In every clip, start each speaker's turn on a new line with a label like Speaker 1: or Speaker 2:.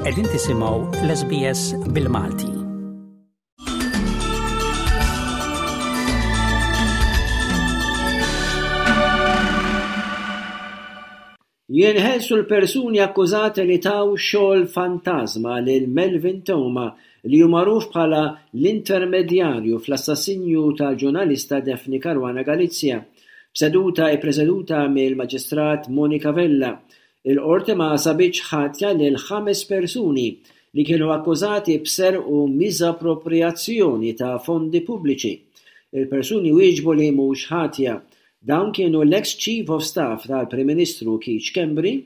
Speaker 1: Qegħdin tisimgħu l-SBS bil-Malti.
Speaker 2: Jinħelsu l-persuni akkużati li taw xogħol fantażma lil Melvin Theuma li hu magħruf bħala l-intermedjarju fl-assassinju tal-ġurnalista Daphne Caruana Galizia. B'seduta ippreseduta mill-Maġistrat Monica Vella, il-Qorti ma sabitx ħatja lil ħames persuni li kienu akkużati b'serq u miżapproprijazzjoni ta' fondi pubbliċi. Il-persuni wieġbu li mhux ħatja. Dawn kienu l-eks Chief of Staff tal-Prim Ministru Keith Schembri,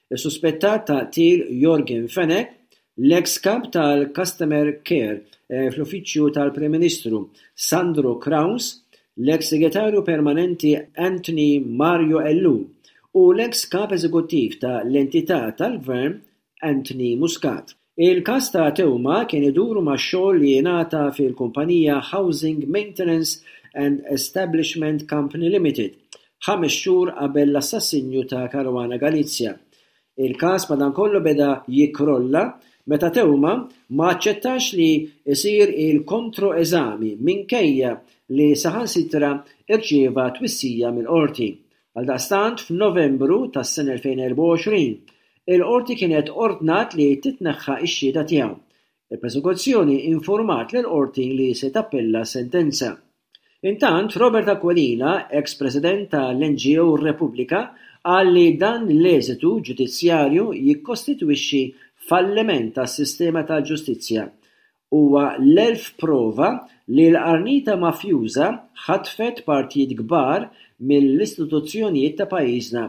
Speaker 2: is-suspettat tal-qtil Yorgen Fenech, l-eks Kap tal-Customer Care fl-Uffiċċju tal-Prim Ministru Sandro Craus, l-eks Segretarju Permanenti Anthony Mario Ellul u l-eks Kap Eżekuttiv ta' l-entità tal-Gvern Anthony Muscat. Il-każ ta' Theuma kien idur ma' xogħol li jingħata fil-kumpanija Housing Maintenance and Establishment Company Limited, ħames xhur qabel l-assassinju ta' Caruana Galizia. Il-każ madankollu beda jikkrolla meta Theuma ma aċċettax li jsir il-kontro-eżami minkejja li saħansitra rċieva twissija mill-Qorti. Għaldaqstant, f'Novembru tas-sena 2024, il-Qorti kienet ordnat li titneħħa x-xhieda tiegħu. Il-Prosekuzzjoni infurmat lill-Qorti li se tappella s-sentenza. Intant, Robert Aquilina, eks President tal-NGO Repubblika, qal li dan l-eżitu ġudizzjarju jikkostitwixxi falliment tas-sistema tal-ġustizzja Huwa l-elf prova li l-qarnita mafjuża ħatfet partijiet kbar mill-istituzzjonijiet ta' pajjiżna.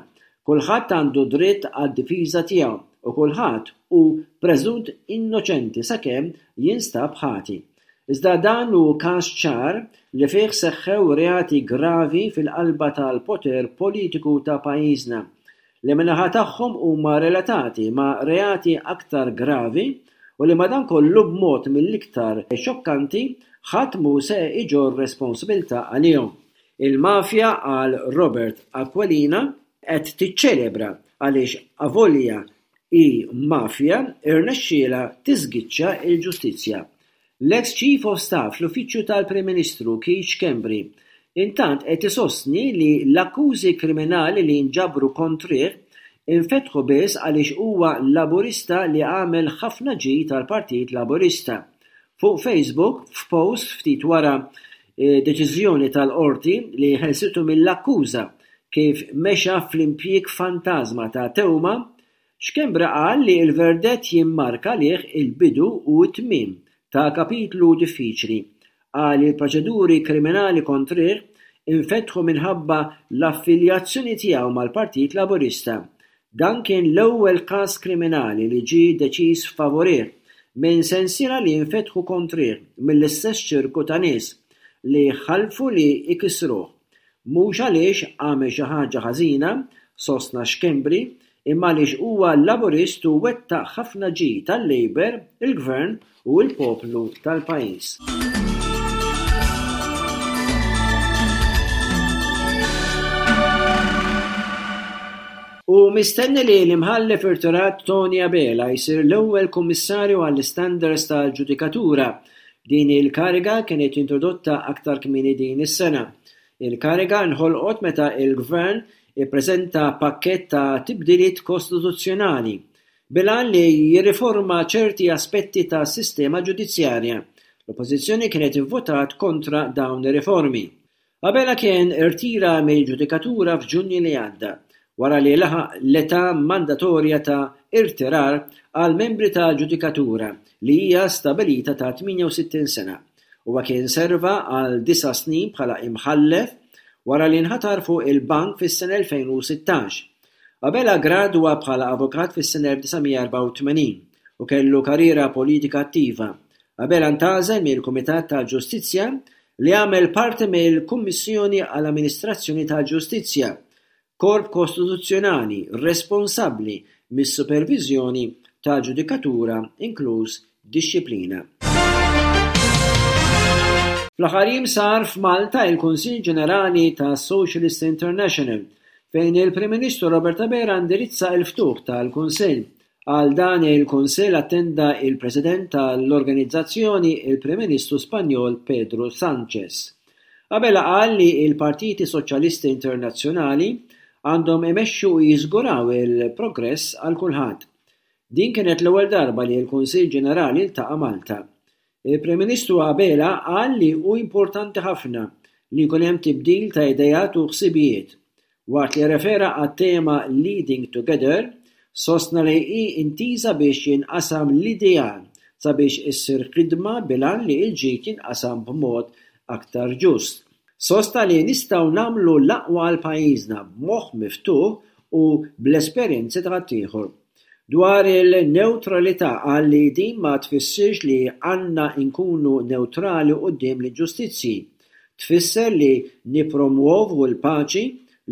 Speaker 2: Kulħadd għandu dritt għad-difiża tiegħu u kulħadd hu preżunt innoċenti sakemm jinstab ħati. Iżda dan hu każ ċar li fih seħħew reati gravi fil-qalba tal-poter politiku ta' pajjiżna. li min-naħa tagħhom huma relatati ma' reati aktar gravi u li madankollu b'mod mill-iktar xokkanti ħadd mhu se iġorr responsabilità għalihom. Il-mafja, qal Robert Aquilina, qed tiċċelebra għaliex avolja hi mafja irnexxielha tiżgiċċa l-ġustizzja. L-eks Chief of Staff fl-Uffiċċju tal-Prim Ministru Keith Schembri intant qed isostni li l-akkużi kriminali li nġabru kontrih infetħu biss għaliex huwa Laburista li għamel ħafna ġid għall-Partit Laburista. Fuq Facebook, f'post ftit wara deċiżjoni tal-Qorti li ħelsitu mill-akkuża kif mexa fl-impjieg fantażma ta' Theuma, Schembri qal li l-verdett jimmarka għalih il-bidu u t-tmiem ta' kapitlu diffiċli. Qal li l-proċeduri kriminali kontrih infetħu minħabba l-affiljazzjoni tiegħu mal-Partit Laburista. Dan kien l-ewwel każ kriminali li ġie deċiż favurih minn sensiela li nfetħu kontrih mill-istess ċirku ta' nies li ħalfu li jkissruh. Mhux għaliex għamel xi ħaġa ħażina, sostna Schembri, imma għaliex huwa Laburist u wettaq ħafna ġid għal-Labour, il-Gvern u l-poplu tal-pajjiż. Hu mistenni li l-Imħallef irtirat Tony Abela jsir l-ewwel Kummissarju għall-Istandards tal-Ġudikatura. Din il-kariga kienet introdotta aktar kmieni din is-sena. Il-kariga nħolqot meta l-Gvern ippreżenta pakkett ta' tibdiliet kostituzzjonali bil-għan li jirriforma ċerti aspetti tas-sistema ġudizzjarja. L-Oppożizzjoni kienet ivvutat kontra dawn ir-riformi. Abela kien irtira mill-ġudikatura f'Ġunju li għadda, wara li laħaq l-età mandatorja ta' irtirar għall-membri tal-ġudikatura li hija stabilita ta' 68 sena. Huwa kien serva għal disa' snin bħala imħallef wara li nħatar fuq il-bank fis-sena 2016. Abela ggradwa bħala avukat fis-sena 1984 u kellu karriera politika attiva. Abela ntgħażel mill-Kumitat tal-Ġustizzja li għamel parti mill-Kummissjoni għall-Amministrazzjoni tal-Ġustizzja, korp kostituzzjonali responsabbli mis-superviżjoni tal-ġudikatura inkluż dixxiplina. Fl-aħħar jiem sar f'Malta il-Kunsill Ġenerali tas Socialist International fejn il-Prim Ministru Robert Abela indirizza l-ftuħ tal-Kunsill. Għal dan il-Kunsill attenda il-President tal-organizzazzjoni il-Prim Ministru Spanjol Pedro Sanchez. Abela qal li l-partiti soċjalisti internazzjonali għandhom imexxu u jiżguraw il-progress għal kulħadd. Din kienet l-ewwel darba li l-Kunsill Ġenerali ltaqa' Malta. Il-Prim Ministru Abela qal li hu importanti ħafna li jkun hemm tibdil ta' ideat u ħsibijiet. Waqt li rrefera għat-tema Leading Together, sostna li hi intiża biex jinqasam l-ideal sabiex issir ħidma bil-għan li l-ġid jinqasam b'mod aktar ġust. Sostna li nistgħu nagħmlu l-aqwa għal pajjiżna b'moħħ miftuħ u bl-esperjenzi ta' ħaddieħor. Dwar il-newtralità qal li din ma tfissirx li għandna nkunu newtrali quddiem l-inġustizzji. Tfisser li nippromwovu l-paċi,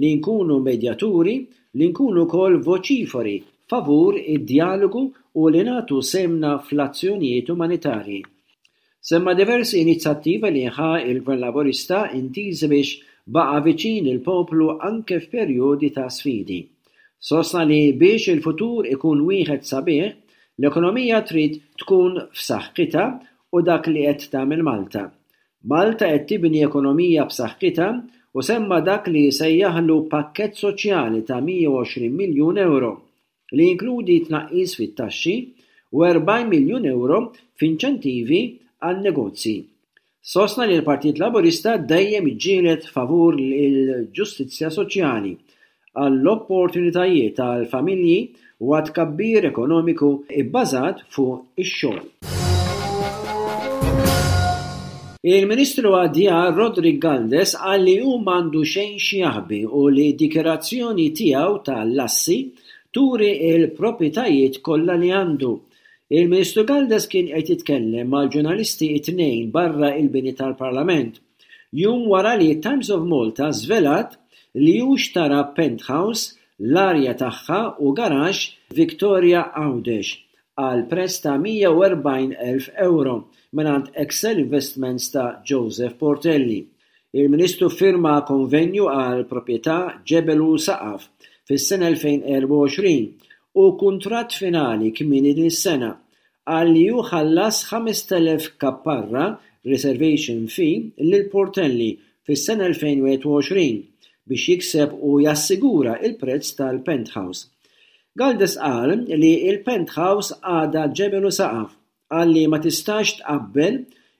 Speaker 2: li nkunu medjaturi, li nkunu wkoll voċiferi favur id-djalogu u li nagħtu sehemna fl-azzjonijiet umanitarji. Semma diversi inizjattivi li ħa l-Gvern Laburista intiżi biex baqa' viċin il-poplu anke f'perjodi ta' sfidi. Sostna li biex il-futur ikun wieħed sabiħ, l-ekonomija trid tkun f'saħħitha u dak li qed tagħmel Malta. Malta qed tibni ekonomija b'saħħitha u semma dak li sejjaħlu pakkett soċjali ta' 120 miljun ewro li jinkludi tnaqqis fit-taxxi u 40 miljun ewro f'inċentivi għan-negozji. Sostna li l-Partit Laburista dejjem iġġieled favur il-ġustizzja soċjali, għall-opportunitajiet għall-familji u għat-tkabbir ekonomiku bbażat fuq ix-xogħol. Il-Ministru għad-Djar Roderick Galdes qal li hu m'għandu xejn x'jaħbi u li d-dikjarazzjoni tiegħu ta' l-assi turi l-proprjetajiet kollha li għandu. Il-Ministru Galdes kien qed jitkellem mal-ġurnalisti t-Tnejn barra l-bini tal-Parlament, jum wara li t-Times of Malta żvelat li hu xtara penthouse, l-arja tagħha u garaxx f'Victoria Għawdex għal prezz ta' 140,000 ewro mingħand Excel Investments ta' Joseph Portelli. Il-Ministru ffirma konvenju għal proprjetà ġebel u saqaf fis-sena 2024 u kuntratt finali kmieni din is-sena. Qal li hu ħallas 5,000 kapparra reservation fee lil Portelli fis-sena 2021 biex jikseb u jassigura l-prezz tal-penthouse. Galdes qal li l-penthouse għadha ġebel u saqaf. Qal li ma tistax tqabbel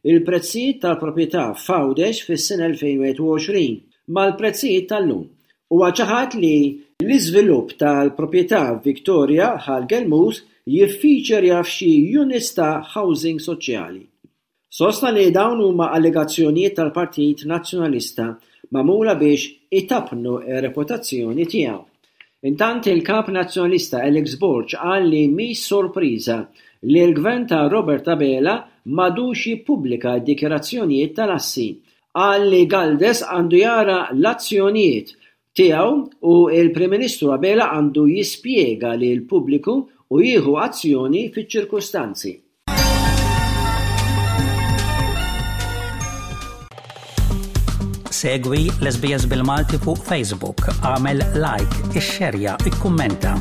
Speaker 2: il-prezzijiet tal-proprjetà f'Għawdex fis-sena 2021 mal-prezzijiet tal-lum. Huwa ċaħad li l-iżvilupp tal-proprjetà f'Victoria Ħal Gelmus jiffeaturja f'xi units ta' housing soċjali. Sostna li dawn huma allegazzjonijiet tal-Partit Nazzjonalista magħmula biex itappnu r-reputazzjoni tiegħu. Intant il-Kap Nazzjonalista Alex Borg qal li mhix sorpriża li l-Gvern ta' Robert Abela m'għadux jippubblika d-dikjarazzjonijiet tal-assi. Qal li Galdes għandu jara l-azzjonijiet tiegħu u l-Prim Ministru Abela għandu jispjega lill-pubbliku u jieħu azzjoni fiċ-ċirkustanzi.
Speaker 1: Segwi l-SBS bil-Malti fuq Facebook, għamel like, ixxerja, ikkummenta.